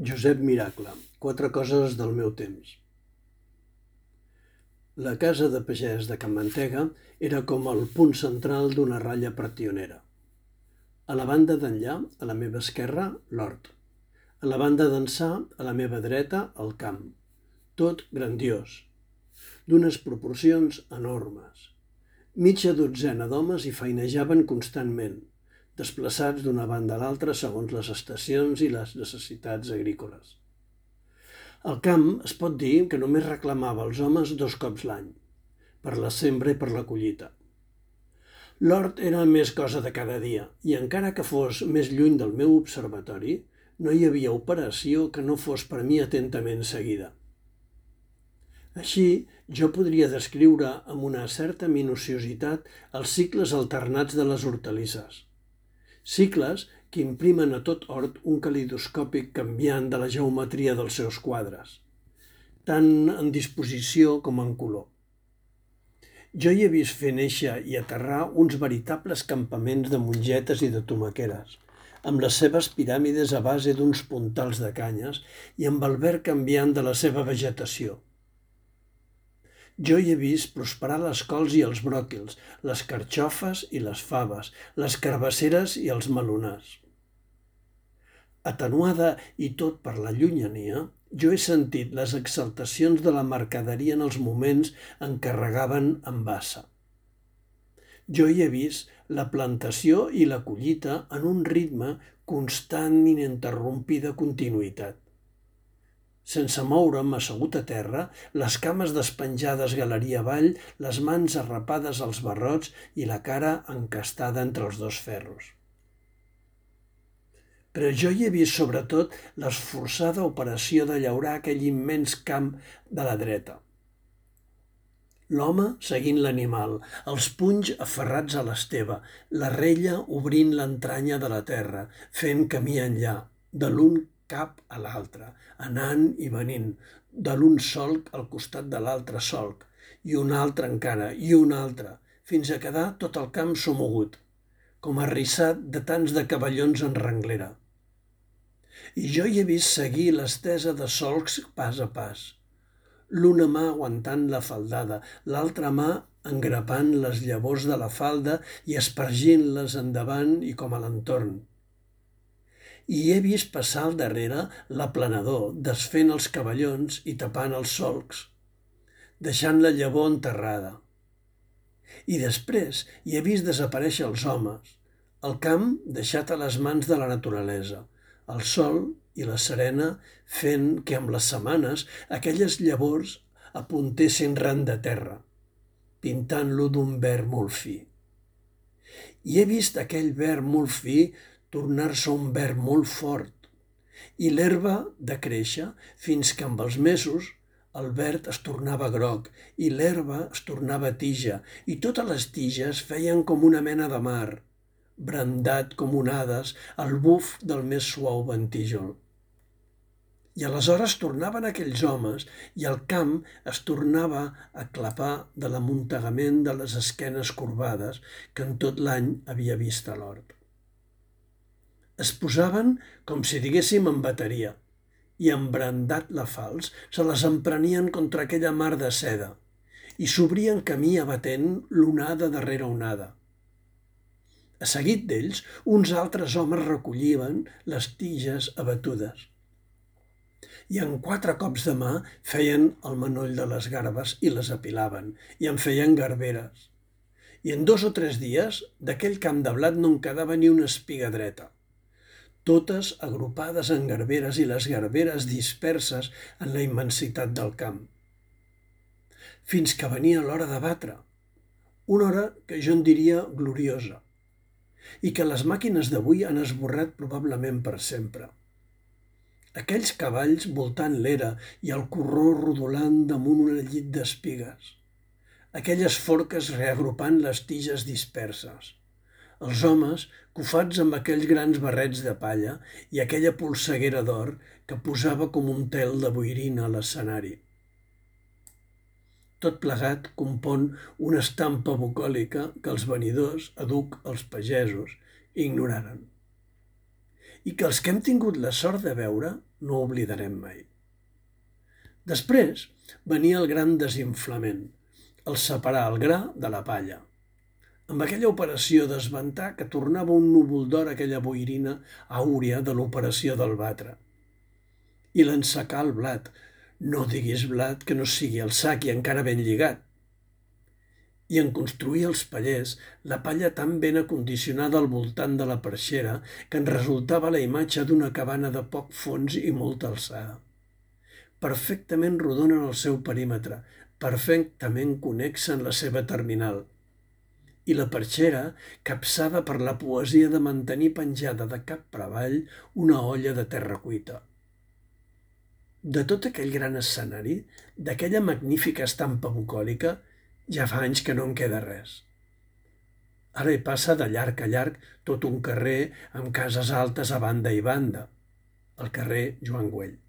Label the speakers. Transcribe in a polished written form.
Speaker 1: Josep Miracle, quatre coses del meu temps. La casa de pagès de Can Mantega era com el punt central d'una ratlla pretionera. A la banda d'enllà, a la meva esquerra, l'hort. A la banda d'ençà, a la meva dreta, el camp. Tot grandiós, d'unes proporcions enormes. Mitja dotzena d'homes hi feinejaven constantment, desplaçats d'una banda a l'altra segons les estacions i les necessitats agrícoles. El camp es pot dir que només reclamava els homes 2 cops l'any, per la sembra i per la collita. L'hort era més cosa de cada dia, i encara que fos més lluny del meu observatori, no hi havia operació que no fos per mi atentament seguida. Així, jo podria descriure amb una certa minuciositat els cicles alternats de les hortalisses. Cicles que imprimen a tot hort un calidoscòpic canviant de la geometria dels seus quadres, tant en disposició com en color. Jo hi he vist fer néixer i aterrar uns veritables campaments de mongetes i de tomaqueres, amb les seves piràmides a base d'uns puntals de canyes i amb el verd canviant de la seva vegetació. Jo hi he vist prosperar les cols i els bròquils, les carxofes i les faves, les carbasseres i els melonars. Atenuada i tot per la llunyania, jo he sentit les exaltacions de la mercaderia en els moments en què regaven amb bassa. Jo hi he vist la plantació i la collita en un ritme constant i ininterrompida continuïtat. Sense moure'm assegut a terra, les cames despenjades galeria avall, les mans arrapades als barrots i la cara encastada entre els 2 ferros. Però jo hi he vist sobretot l'esforçada operació de llaurar aquell immens camp de la dreta. L'home seguint l'animal, els punys aferrats a l'esteva, la rella obrint l'entranya de la terra, fent camí enllà, de l'un cap a l'altre, anant i venint, de l'un solc al costat de l'altre solc, i un altre encara, i un altre, fins a quedar tot el camp somogut, com arrissat de tants de cavallons en renglera. I jo hi he vist seguir l'estesa de solcs pas a pas, l'una mà aguantant la faldada, l'altra mà engrapant les llavors de la falda i espargint-les endavant i com a l'entorn. I he vist passar al darrere l'aplanador, desfent els cavallons i tapant els solcs, deixant la llavor enterrada. I després hi he vist desaparèixer els homes, el camp deixat a les mans de la naturalesa, el sol i la serena fent que amb les setmanes aquelles llavors apuntessin ran de terra, pintant-lo d'un verd molt fi. I he vist aquell verd molt fi tornar-se un verd molt fort i l'herba de créixer fins que amb els mesos el verd es tornava groc i l'herba es tornava tija i totes les tiges feien com una mena de mar, brandat com onades al buf del més suau ventijol. I aleshores tornaven aquells homes i el camp es tornava a clapar de l'amuntegament de les esquenes corbades que en tot l'any havia vist a l'hort. Es posaven com si diguéssim en bateria i embrandat la falç se les emprenien contra aquella mar de seda i s'obrien camí abatent l'onada darrere onada. A seguit d'ells, uns altres homes recollien les tiges abatudes i en 4 cops de mà feien el manoll de les garbes i les apilaven i en feien garberes. I en 2 o 3 dies d'aquell camp de blat no en quedava ni una espiga dreta, totes agrupades en garberes i les garberes disperses en la immensitat del camp. Fins que venia l'hora de batre, una hora que jo en diria gloriosa, i que les màquines d'avui han esborrat probablement per sempre. Aquells cavalls voltant l'era i el corró rodolant damunt un llit d'espigues, aquelles forques reagrupant les tiges disperses, els homes cofats amb aquells grans barrets de palla i aquella polseguera d'or que posava com un tel de boirina a l'escenari. Tot plegat compon una estampa bucòlica que els venidors, aduc els pagesos, ignoraren. i que els que hem tingut la sort de veure no oblidarem mai. Després venia el gran desinflament, el separar el gra de la palla. Amb aquella operació d'esventar que tornava un núvol d'or aquella boirina àurea de l'operació del batre. I l'ensacar el blat. No diguis blat que no sigui el sac i encara ben lligat. I en construir els pallers, la palla tan ben acondicionada al voltant de la perxera que en resultava la imatge d'una cabana de poc fons i molta alçada. Perfectament rodona en el seu perímetre, perfectament connexa en la seva terminal. I la perxera capçada per la poesia de mantenir penjada de cap per avall una olla de terra cuita. De tot aquell gran escenari, d'aquella magnífica estampa bucòlica, ja fa anys que no en queda res. Ara hi passa de llarg a llarg tot un carrer amb cases altes a banda i banda, el carrer Joan Güell.